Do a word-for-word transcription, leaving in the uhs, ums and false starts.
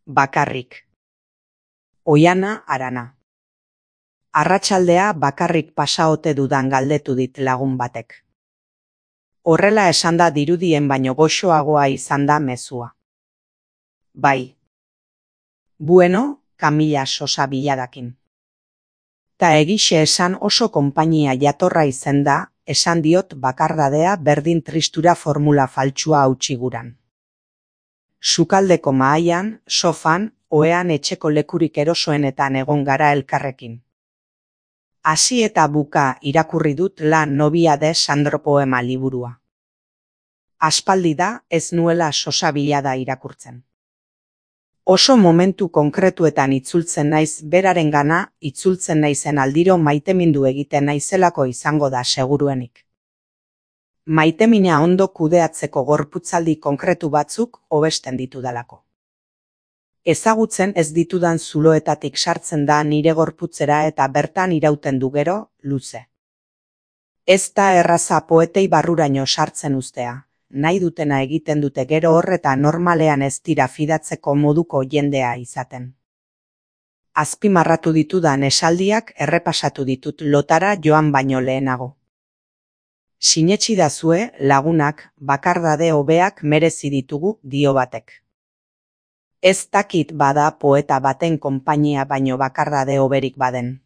Bakarrik. Oiana Arana. Arratsaldea bakarrik pasa ote dudan galdetu dit lagun batek. Horrela esanda dirudien baino goxoagoa izan da mezua. Bai. Bueno, Kamila sosa biladakin. Ta egixe esan oso konpainia jatorra izen da, esan diot bakardadea berdin tristura formula faltsua hautsi guran. Sukaldeko mahaian, sofan, ohean etxeko lekurik erosoenetan egon gara elkarrekin. Hasi eta buka irakurri dut La novia de Sandro poema liburua. Aspaldi da ez nuela sosa bilada irakurtzen. Oso momentu konkretuetan itzultzen naiz berarengana, itzultzen naizen aldiro maitemindu egiten naizelako izango da seguruenik. Maitemina ondo kudeatzeko gorputzaldi konkretu batzuk hobesten ditudalako. Ezagutzen ez ditudan zuloetatik sartzen da nire gorputzera eta bertan irauten du gero, luze. Ez da erraza poetei barruraino sartzen uztea, nahi dutena egiten dute gero horreta normalean ez dira fidatzeko moduko jendea izaten. Azpimarratu ditudan esaldiak errepasatu ditut lotara joan baino lehenago. Sinetsi dazue, lagunak, bakardade hobeak merezi ditugu dio batek. Ez dakit bada poeta baten konpainia baino bakardade hoberik baden.